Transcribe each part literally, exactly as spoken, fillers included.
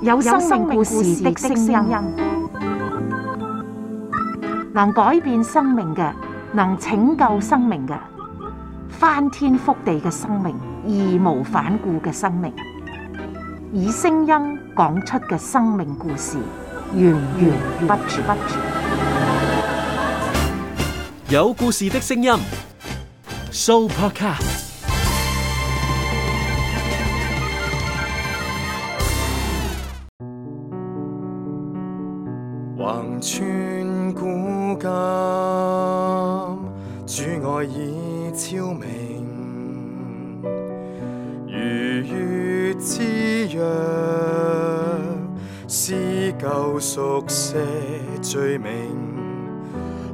有生命故事的聲音，能改變生命嘅，能拯救生命嘅，翻天覆地嘅生命，義無反顧嘅生命，以聲音講出嘅生命故事，源源不絕。有故事的聲音 ，Sooopodcast。橫穿古今，主愛已超明，如月之約，撕舊熟寫罪名，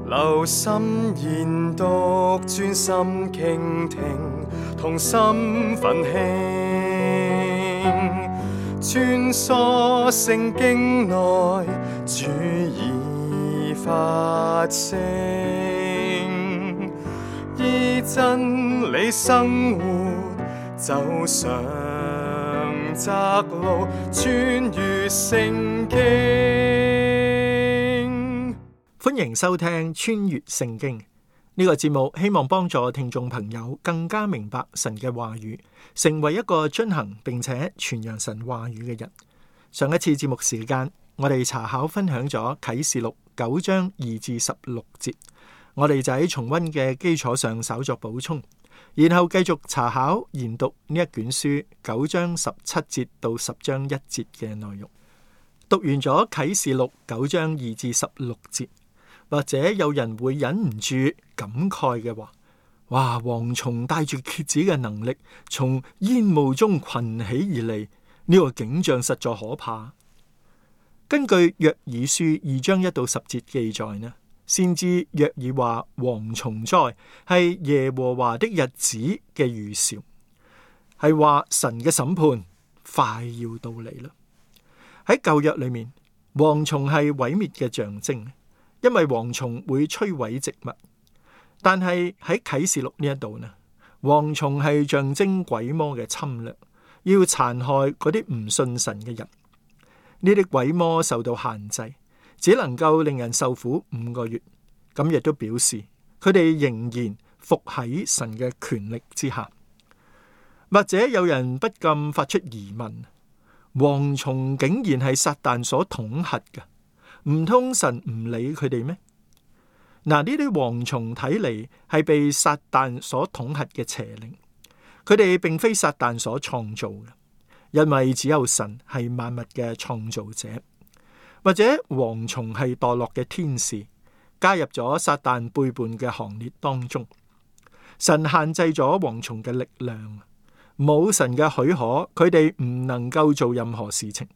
留心研讀，專心傾聽，同心奮興，穿梭聖經內，主已發聲，依真理生活，走上窄路，穿越聖經。歡迎收聽穿越聖經呢個節目，希望幫助聽眾朋友更加明白神嘅話語，成為一個遵行並且傳揚神話語嘅人。上一次節目時間，我哋查考分享咗啟示錄九章二至十六節，我哋就喺重溫嘅基礎上稍作補充，然後繼續查考研讀呢一卷書九章十七節到十章一節嘅內容。讀完咗啟示錄九章二至十六節，或者有人會忍唔住感慨嘅話：哇！蝗蟲帶住蠍子嘅能力，從煙霧中群起而嚟，呢個景象實在可怕。根據約珥書二章一到十節記載呢，先知約珥話蝗蟲災係耶和華的日子嘅預兆，係話神嘅審判快要到嚟啦。喺舊約裏面，蝗蟲係毀滅嘅象徵，因為蝗蟲會摧毀植物。但係喺啟示錄呢一度呢，蝗蟲係象徵鬼魔嘅侵略，要殘害嗰啲唔信神嘅人。呢啲鬼魔受到限制，只能夠令人受苦五個月。咁亦都表示佢哋仍然服喺神嘅權力之下。或者有人不禁發出疑問：蝗蟲竟然係撒旦所統轄嘅，唔通神唔理佢哋咩？嗱，呢啲蝗蟲睇嚟係被撒旦所統轄嘅邪靈，佢哋並非撒旦所創造嘅。因為只有神係萬物嘅創造者。或者蝗蟲係墮落嘅天使，加入咗撒旦背叛嘅行列當中。神限制咗蝗蟲嘅力量，冇神嘅許可，佢哋唔能夠做任何事情。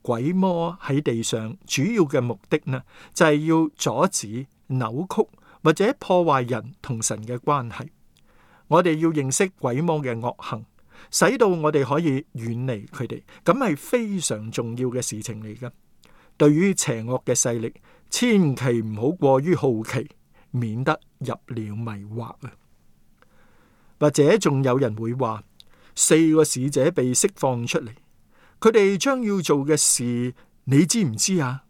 鬼魔喺地上主要嘅目的呢，就係要阻止、扭曲或者破壞人同神嘅關係。我哋要認識鬼魔嘅惡行，使到我哋可以遠離佢哋，咁係非常重要嘅事情嚟㗎。對於邪惡嘅勢力，千祈唔好過於好奇，免得入了迷惑啊！或者仲有人會話，四個使者被釋放出嚟，佢哋將要做嘅事，你知唔知啊？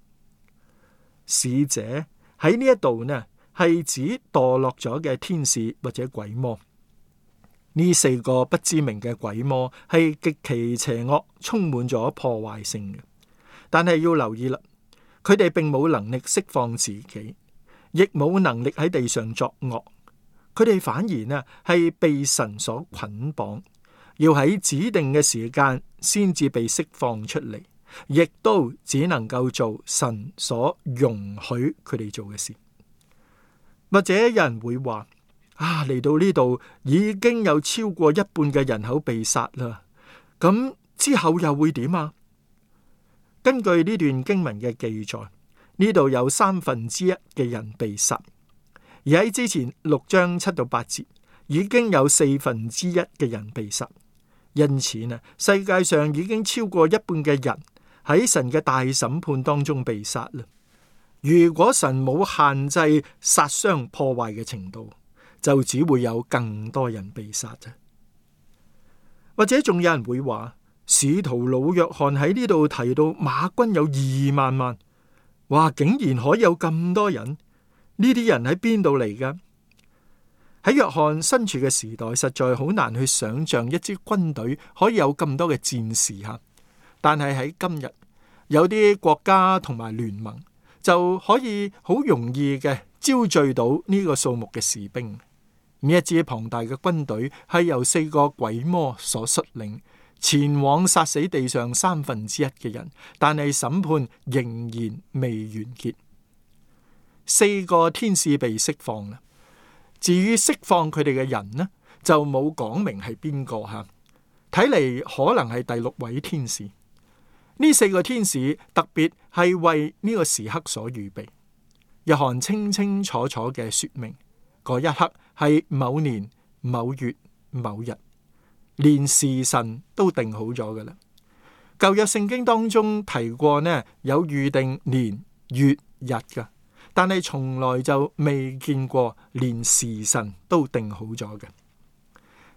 使者喺呢一度呢，係指墮落咗嘅天使或者鬼魔。呢四個不知名嘅鬼魔係極其邪惡，充滿咗破壞性嘅。但係要留意啦，佢哋並冇能力釋放自己，亦冇能力喺地上作惡。佢哋反而呢係被神所捆綁，要喺指定嘅時間先至被釋放出嚟，亦都只能夠做神所容許佢哋做嘅事。或者有人會話：啊，嚟到呢度已經有超過一半嘅人口被殺啦，咁之後又會點啊？根據呢段經文嘅記載，呢度有三分之一嘅人被殺，而喺之前六章七到八節已經有四分之一嘅人被殺，因此呢，世界上已經超過一半嘅人喺神嘅大審判當中被殺啦。如果神冇限制殺傷破壞嘅程度，就只會有更多人被殺啫。或者仲有人會話，使徒老約翰喺呢度提到馬軍有二萬萬，哇！竟然可以有咁多人，呢啲人喺邊度嚟噶？喺約翰身處嘅時代，實在好難去想象一支軍隊可以有咁多嘅戰士吓。但係喺今日，有啲國家同埋聯盟就可以好容易嘅招聚到呢個數目嘅士兵。呢一支龐大嘅軍隊係由四個鬼魔所率領，前往殺死地上三分之一嘅人，但係審判仍然未完結。四個天使被釋放啦。至於釋放佢哋嘅人呢，就冇講明係邊個吓，睇嚟可能係第六位天使。呢四個天使特別係為呢個時刻所預備。約翰清清楚楚嘅說明，嗰一刻係某年某月某日，連時辰都定好咗噶啦。舊約聖經當中提過呢，有預定年月日噶。但係從來就未見過連時辰都定好咗嘅。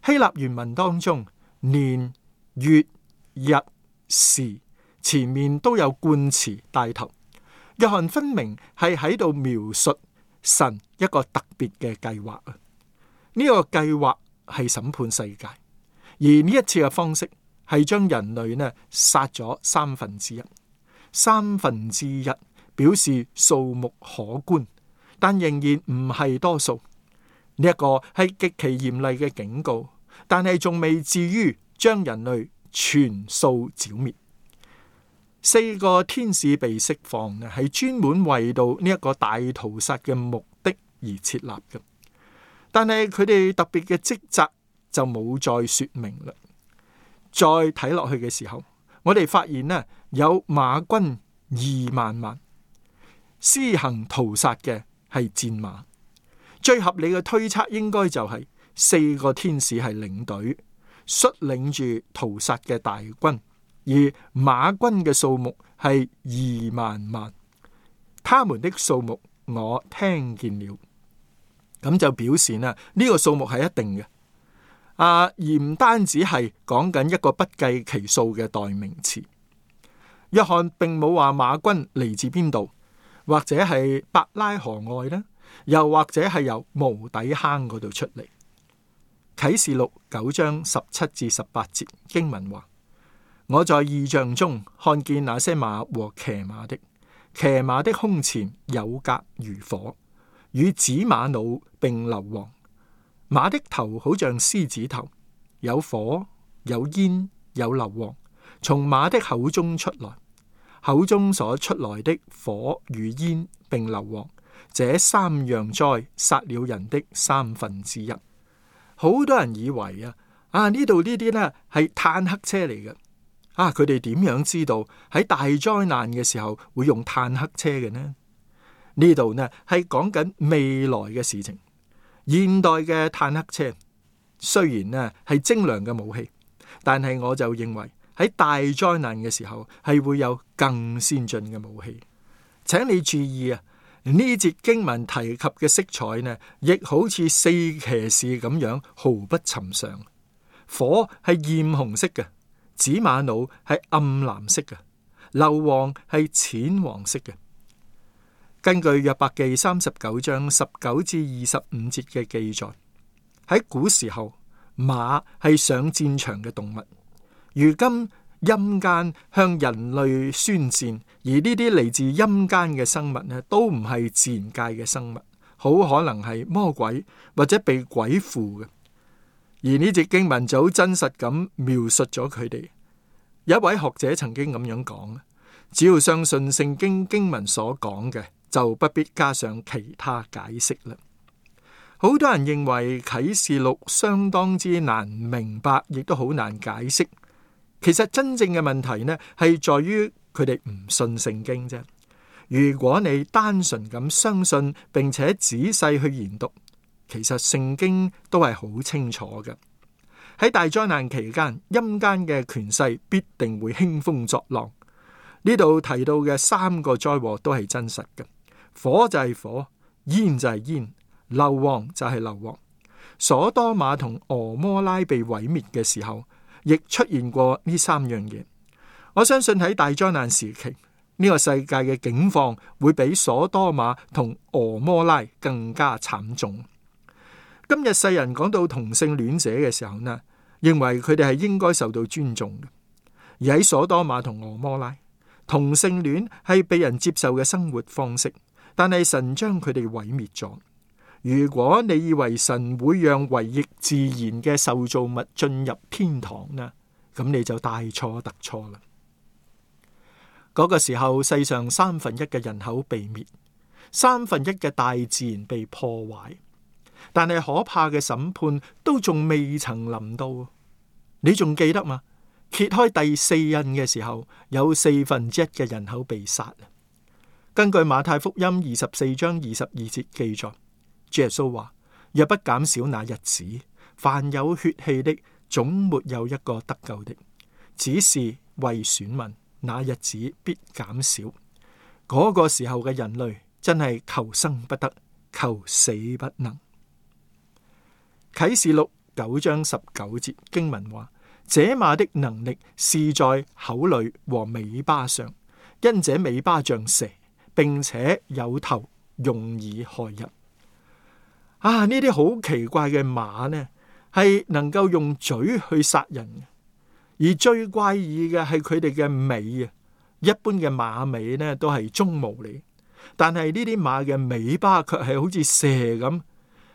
希臘原文當中，年、月、日、時前面都有冠詞帶頭。約翰分明係喺度描述神一個特別嘅計劃啊！呢個計劃係審判世界，而呢一次嘅方式係將人類呢殺咗三分之一，三分之一。表示數目可觀，但仍然唔係多數。呢一個係極其嚴厲嘅警告，但係仲未至於將人類全數剿滅。四個天使被釋放呢，係專門為到呢一個大屠殺嘅目的而設立嘅。但係佢哋特別嘅職責就冇再說明啦。再睇落去嘅時候，我哋發現呢，有馬軍二萬萬。施行屠殺嘅係戰馬，最合理嘅推測應該就係四個天使係領隊，率領住屠殺嘅大軍，而馬軍嘅數目係二萬萬。他們的數目我聽見了，咁就表示呢呢、這個數目係一定嘅，啊，而唔單止係講緊一個不計其數嘅代名詞。約翰並冇話馬軍嚟自邊度。或者係伯拉河外呢，又或者係由無底坑嗰度出嚟。啟示錄九章十七至十八節經文話：我在異象中看見那些馬和騎馬的，騎馬的胸前有甲如火，與紫瑪瑙並硫磺。馬的頭好像獅子頭，有火，有煙，有硫磺，從馬的口中出來。口中所出來的火與煙並硫磺，這三樣災殺了人的三分之一。好多人以為啊，啊呢度呢啲呢係坦克車嚟嘅。啊，佢哋點樣知道喺大災難嘅時候會用坦克車嘅呢？呢度呢係講緊未來嘅事情。現代嘅坦克車雖然呢係精良嘅武器，但係我就認為，喺大災難嘅時候係會有更先進嘅武器。請你注意啊，呢節經文提及嘅色彩呢，亦好似四騎士咁樣毫不尋常。火係艷紅色嘅，紫瑪瑙係暗藍色嘅，硫磺係淺黃色嘅。根據約伯記三十九章十九至二十五節嘅記載，喺古時候馬係上戰場嘅動物。如今陰間向人類宣戰，而呢啲嚟自陰間嘅生物呢，都唔係自然界嘅生物，好可能係魔鬼或者被鬼附嘅。而呢節經文就好真實咁描述咗佢哋。有一位學者曾經咁樣講：只要相信聖經經文所講嘅，就不必加上其他解釋啦。好多人認為啟示錄相當之難明白，亦都好難解釋。其實真正嘅問題呢，係在於佢哋唔信聖經啫。如果你單純咁相信，並且仔細去研讀，其實聖經都係好清楚嘅。喺大災難期間，陰間嘅權勢必定會興風作浪。呢度提到嘅三個災禍都係真實嘅，火就係火，煙就係煙，硫磺就係硫磺。所多瑪同俄摩拉被毀滅嘅時候，亦出現過呢三樣嘢。我相信喺大災難時期，呢個世界嘅境況會比所多瑪同俄摩拉更加慘重。今日世人講到同性戀者嘅時候呢，認為佢哋係應該受到尊重嘅。而喺所多瑪同俄摩拉，同性戀係被人接受嘅生活方式，但係神將佢哋毀滅咗。如果你以為神會讓唯逆自然嘅受造物進入天堂呢，咁你就大錯特錯啦。嗰個時候，世上三分一嘅人口被滅，三分一嘅大自然被破壞，但係可怕嘅審判都仲未曾臨到。你仲記得嗎？揭開第四印嘅時候，有四分之一嘅人口被殺。根據馬太福音二十四章二十二節記載，主耶穌話：若不減少那日子，凡有血氣的，總沒有一個得救的。只是為選民，那日子必減少。嗰、那個時候嘅人類真係求生不得，求死不能。啟示錄九章十九節經文話：這馬的能力是在口裏和尾巴上，因這尾巴像蛇，並且有頭，用以害人。啊！呢啲好奇怪嘅馬呢，係能夠用嘴去殺人嘅，而最怪異嘅係佢哋嘅尾啊！一般嘅馬尾呢都係鬃毛嚟，但係呢啲馬嘅尾巴卻係好似蛇咁，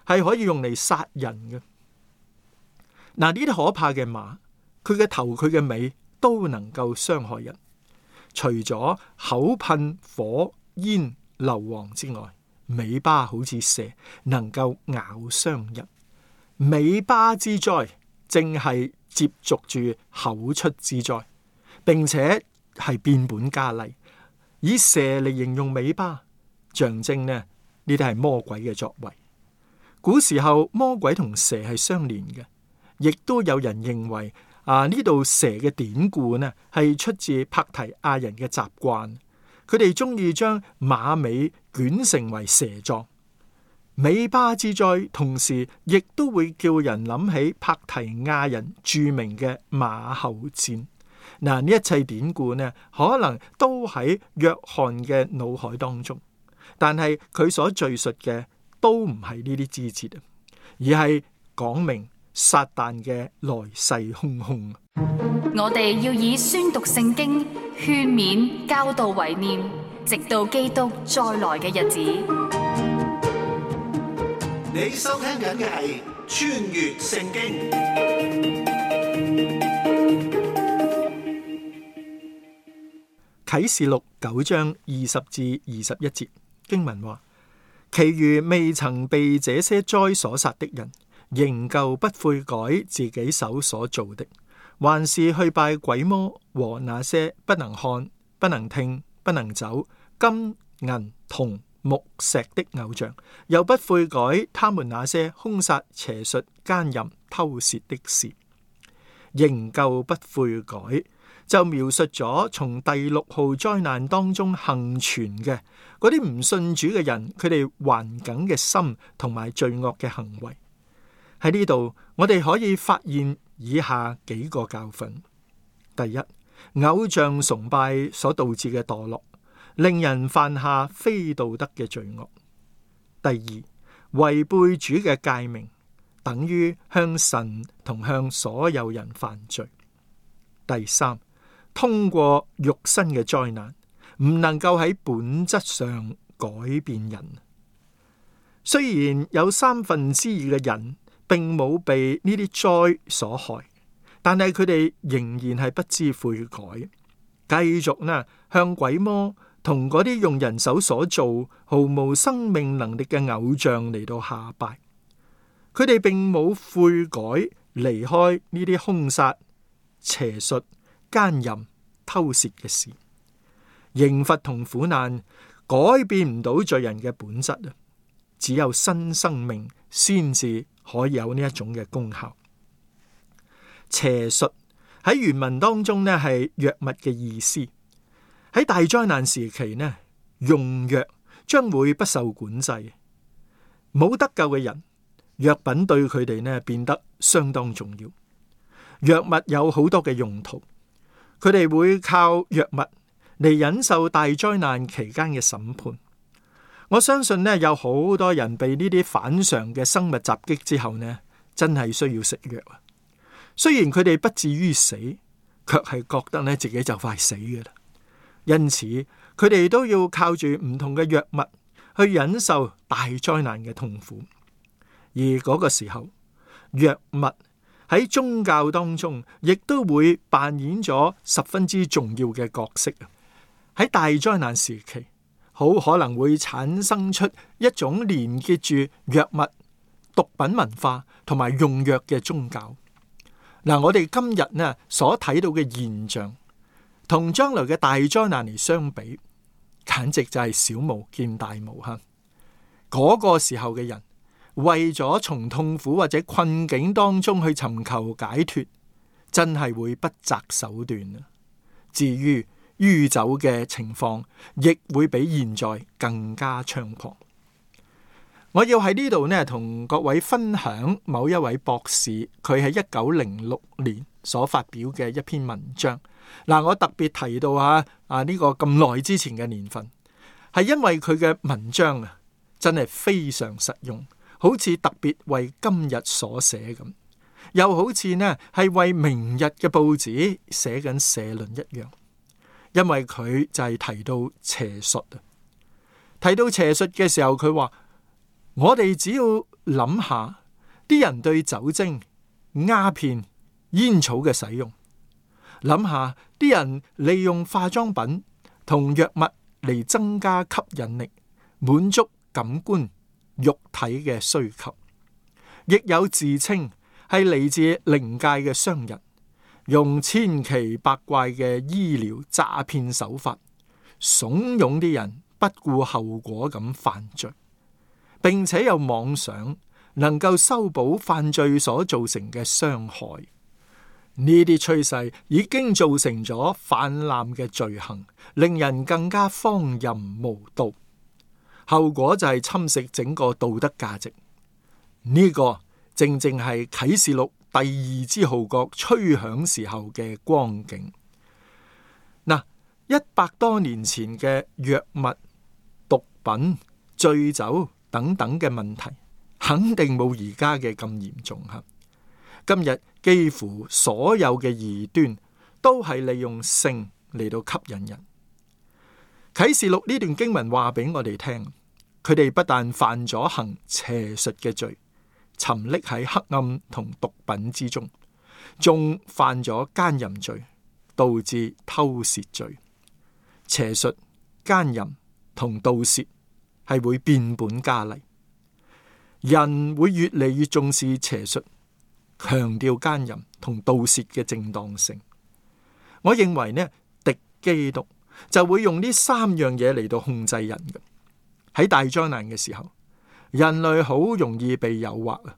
係可以用嚟殺人嘅。嗱，呢啲可怕嘅馬，佢嘅頭、佢嘅尾都能夠傷害人。除咗口噴火煙硫磺之外，尾巴好似蛇，能夠咬傷人。尾巴之災正係接續住口出之災，並且係變本加厲，以蛇嚟形容尾巴，象徵呢呢啲係魔鬼嘅作為。古時候魔鬼同蛇係相連嘅，亦都有人認為啊呢度蛇嘅典故呢係出自帕提亞人嘅習慣。佢哋中意將馬尾捲成為蛇狀，尾巴之災，同時亦都會叫人諗起帕提亞人著名嘅馬後戰。嗱，呢一切典故呢，可能都喺約翰嘅腦海當中，但係佢所敘述嘅都唔係呢啲枝節，而係講明撒旦嘅來勢洶洶。我哋要以宣讀聖經、勸勉、教導為念，直到基督再來嘅日子。你收聽緊嘅係穿越聖經。啟示錄九章二十至二十一節經文話：其餘未曾被這些災所殺的人，仍舊不悔改自己手所做的，還是去拜鬼魔和那些不能看、不能聽、不能走、金銀銅木石的偶像，又不悔改他們那些兇殺、邪術、奸淫、偷竊的事，仍舊不悔改，就描述咗從第六號災難當中幸存嘅嗰啲唔信主嘅人，佢哋頑梗嘅心同埋罪惡嘅行為。喺呢度，我哋可以發現以下幾個教訓：第一，偶像崇拜所導致嘅墮落，令人犯下非道德嘅罪惡；第二，違背主嘅誡命，等於向神同向所有人犯罪；第三，通過肉身嘅災難，唔能夠喺本質上改變人。雖然有三分之二嘅人並冇被呢啲災所害，但係佢哋仍然係不知悔改，繼續呢向鬼魔同嗰啲用人手所做毫無生命能力嘅偶像嚟到下拜。佢哋並冇悔改，離開呢啲兇殺、邪術、奸淫、偷竊嘅事。刑罰同苦難改變唔到罪人嘅本質啊！只有新生命先至可以有呢一種嘅功效。邪術喺原文當中呢係藥物嘅意思。喺大災難時期呢，用藥將會不受管制。冇得救嘅人，藥品對佢哋呢變得相當重要。藥物有好多嘅用途，佢哋會靠藥物嚟忍受大災難期間嘅審判。我相信呢，有好多人被呢啲反常嘅生物襲擊之後呢，真係需要食藥啊。雖然佢哋不至於死，卻係覺得呢自己就快死嘅啦。因此，佢哋都要靠住唔同嘅藥物去忍受大災難嘅痛苦。而嗰個時候，藥物喺宗教當中亦都會扮演咗十分之重要嘅角色。喺大災難時期，好可能會產生出一種連結住藥物、毒品文化同埋用藥嘅宗教。嗱，我哋今日呢所睇到嘅現象，同將來嘅大災難嚟相比，簡直就係小巫見大巫吓。嗰個時候嘅人，為咗從痛苦或者困境當中去尋求解脫，真係會不擇手段啊。至於酗酒嘅情況，亦會比現在更加猖狂。我要喺呢度呢，同各位分享某一位博士，佢喺一九零六年所發表嘅一篇文章。嗱，我特別提到啊啊呢個咁耐之前嘅年份，係因為佢嘅文章啊，真係非常實用，好似特別為今日所寫咁，又好似呢係為明日嘅報紙寫緊社論一樣。因為佢就係提到邪術啊，提到邪術嘅時候，佢話我哋只要諗下啲人對酒精、鴉片、煙草嘅使用，諗下啲人利用化妝品同藥物嚟增加吸引力，滿足感官、肉體嘅需求，亦有自稱係嚟自靈界嘅商人，用千奇百怪嘅醫療詐騙手法，慫恿啲人不顧後果咁犯罪，並且有妄想能夠修補犯罪所造成嘅傷害。呢啲趨勢已經造成咗泛濫嘅罪行，令人更加荒淫無道，後果就係侵蝕整個道德價值。呢、這個正正係啟示錄第二支號角吹響時候嘅光景。嗱，一百多年前嘅藥物、毒品、醉酒等等嘅問題，肯定冇而家嘅咁嚴重吓。今日幾乎所有嘅異端都係利用性嚟到吸引人。啟示錄呢段經文話俾我哋聽，佢哋不但犯咗行邪術嘅罪，沉溺喺黑暗同毒品之中，仲犯咗奸淫罪，導致偷竊罪。邪術、奸淫同盜竊係會變本加厲，人會越嚟越重視邪術，強調奸淫同盜竊嘅正當性。我認為呢，敵基督就會用呢三樣嘢嚟到控制人嘅。喺大災難嘅時候，人類好容易被誘惑啊，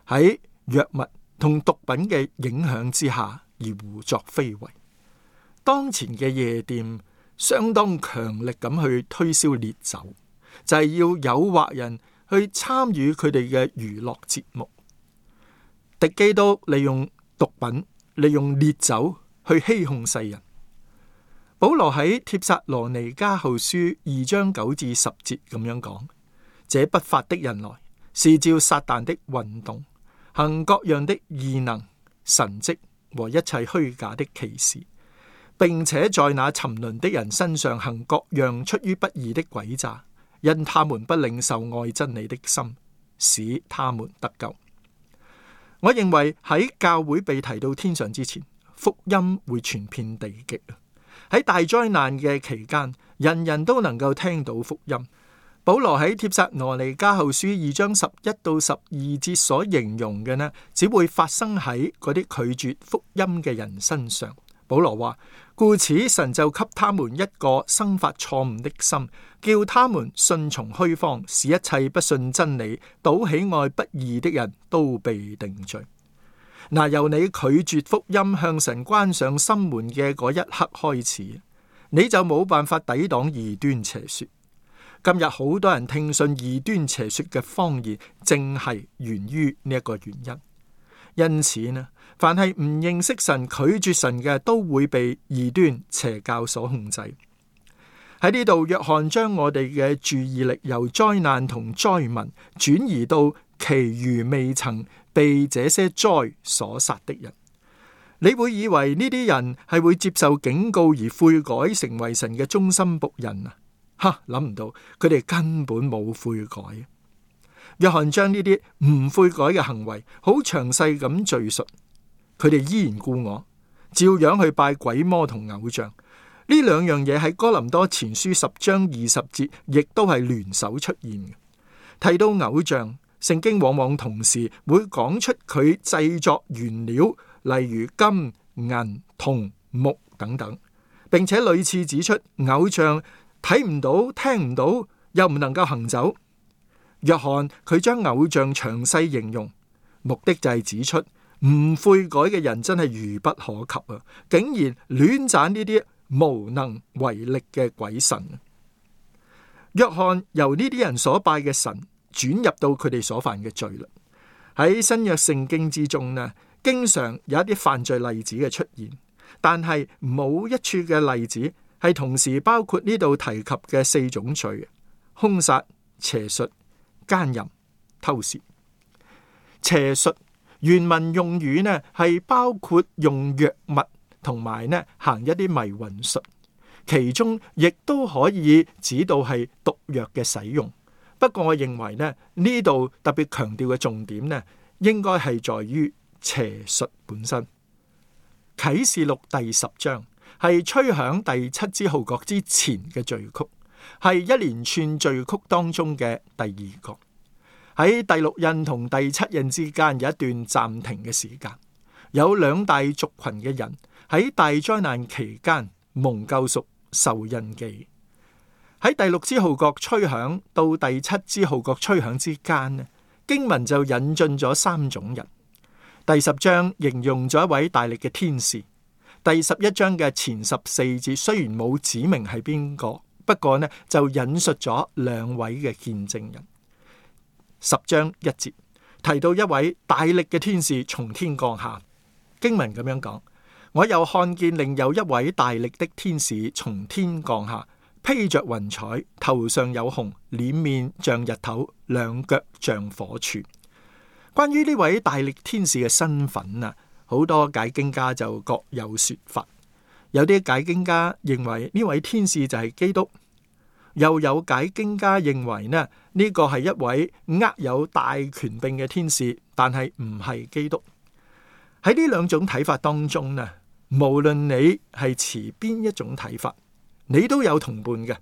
喺藥物同毒品嘅影響之下而胡作非為。當前嘅夜店相當強力咁去推銷烈酒，就係要誘惑人去參與佢哋嘅娛樂節目。敵基督利用毒品、利用烈酒去欺哄世人。保羅喺帖撒羅尼迦後書二章九至十節咁樣講：這不法的人來，是照撒旦的運動，行各樣的異能、神蹟和一切虛假的奇事，並且在那沉淪的人身上行各樣出於不義的詭詐，因他們不領受愛真理的心，使他們得救。我認為喺教會被提到天上之前，福音會傳遍地極。喺大災難嘅期間，人人都能夠聽到福音。保羅喺帖撒羅尼迦後書二章十一到十二節所形容嘅呢，只會發生喺嗰啲拒絕福音嘅人身上。保羅話：故此神就給他們一個生發錯誤的心，叫他們順從虛謊，使一切不信真理、倒喜愛不義的人都被定罪。嗱，由你拒絕福音向神關上心門嘅嗰一刻開始，你就冇辦法抵擋異端邪說。今日好多人聽信異端邪說嘅謊言，正係源於呢一個原因。因此呢，凡係唔認識神、拒絕神嘅，都會被異端邪教所控制。喺呢度，約翰將我哋嘅注意力由災難同災民轉移到其餘未曾被這些災所殺的人。你會以為呢啲人係會接受警告而悔改，成為神嘅忠心僕人啊？哈，諗唔到佢哋根本冇悔改。約翰將呢啲唔悔改嘅行為好詳細咁敘述，佢哋依然故我，照樣去拜鬼魔同偶像。呢兩樣嘢喺哥林多前書十章二十節亦都係聯手出現嘅。提到偶像，聖經往往同時會講出佢製作原料，例如金、銀、銅、木等等，並且屢次指出偶像睇唔到、聽唔到，又唔能夠行走。約翰佢將偶像詳細形容，目的就係指出唔悔改嘅人真係愚不可及啊！竟然亂讚呢啲無能為力嘅鬼神。約翰由呢啲人所拜嘅神轉入到佢哋所犯嘅罪啦。喺新約聖經之中呢，經常有一啲犯罪例子嘅出現，但係冇一處嘅例子係同時包括呢度提及嘅四種罪：兇殺、邪術、奸淫、偷竊。邪術原文用語呢係包括用藥物同埋呢行一啲迷魂術，其中亦都可以指到係毒藥嘅使用。不過我認為呢呢度特別強調嘅重點呢，應該係在於邪術本身。啟示錄第十章係吹響第七支號角之前嘅序曲，係一連串序曲當中嘅第二個。喺第六印同第七印之間有一段暫停嘅時間，有兩大族群嘅人喺大災難期間蒙救贖受印記。喺第六支號角吹響到第七支號角吹響之間呢，經文就引進咗三種人。第十章形容咗一位大力嘅天使。第十一章嘅前十四節雖然冇指明係邊個，不過呢就引述咗兩位嘅見證人。十章一節提到一位大力嘅天使從天降下，經文咁樣講：我又看見另有一位大力的天使從天降下，披着雲彩，頭上有紅，臉面像日頭，兩腳像火柱。關於呢位大力天使嘅身份啊，好多解經家就各有說法。有啲解經家認為呢位天使就係基督，又有解經家認為呢呢個係一位握有大權柄嘅天使，但係唔係基督。喺呢兩種睇法當中呢，無論你係持邊一種睇法，你都有同伴嘅。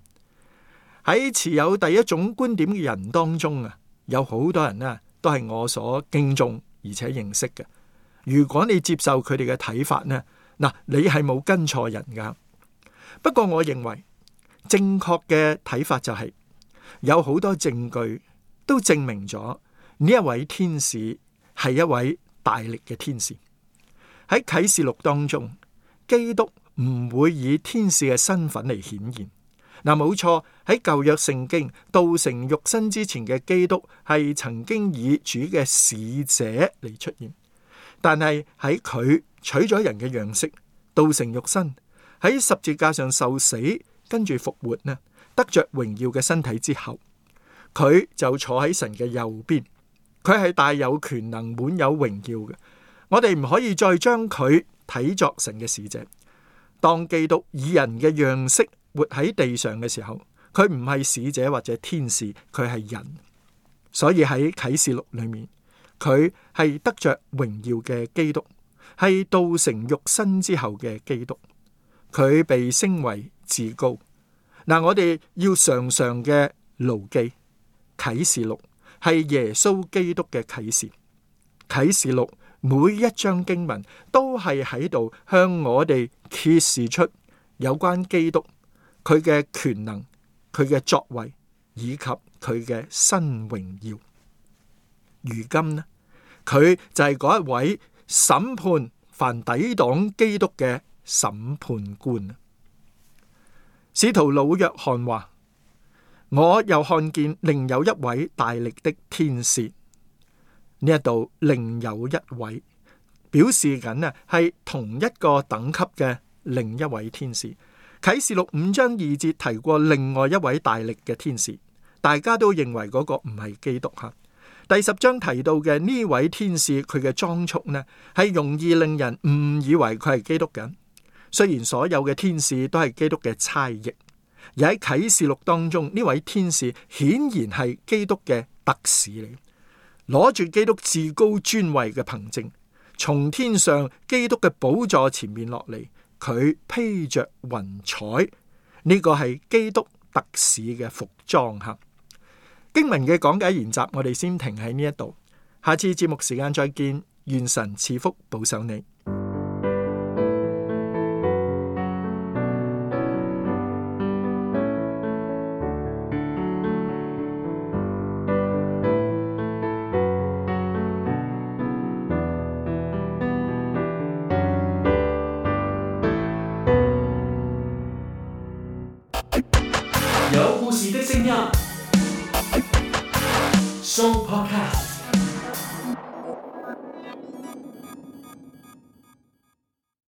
喺持有第一種觀點嘅人當中啊，有好多人呢都係我所敬重而且認識嘅。如果你接受佢哋嘅睇法呢，嗱，你係冇跟錯人噶。不過我認為正確嘅睇法就係有好多證據都證明咗呢一位天使係一位大力嘅天使。喺啟示錄當中，基督唔會以天使嘅身份嚟顯現。嗱，冇錯，喺舊約聖經道成肉身之前嘅基督係曾經以主嘅使者嚟出現，但係喺佢取咗人嘅樣式，道成肉身，喺十字架上受死，跟住復活呢，得着榮耀嘅身體之後，佢就坐喺神嘅右邊，佢係大有權能、滿有榮耀嘅。我哋唔可以再將佢睇作神嘅使者。當基督以人嘅樣式活喺地上嘅時候，佢唔係使者或者天使，佢係人。所以喺啟示錄裏面，佢係得着榮耀嘅基督，係道成肉身之後嘅基督。佢被升為至高。嗱，我哋要常常嘅牢記，啟示錄係耶穌基督嘅啟示。啟示錄每一章經文都係喺度向我哋揭示出有關基督佢嘅權能、佢嘅作為以及佢嘅新榮耀。如今呢，佢就係嗰一位審判凡抵擋基督嘅審判官。使徒老約翰話：我又看見另有一位大力的天使。呢一度另有一位表示緊啊係同一個等級嘅另一位天使。啟示錄五章二節提過另外一位大力嘅天使，大家都認為嗰個唔係基督吓。第十章提到嘅呢位天使，佢嘅裝束呢係容易令人誤以為佢係基督嘅。雖然所有嘅天使都係基督嘅差役，而喺啟示錄當中，呢位天使顯然係基督嘅特使嚟，攞住基督至高尊位嘅憑證，從天上基督嘅寶座前面落嚟，佢披着雲彩，呢個係基督特使嘅服裝吓。經文嘅講解研習，我哋先停喺呢一度，下次節目時間再見，願神賜福保守你。有故事的聲音，Show Podcast。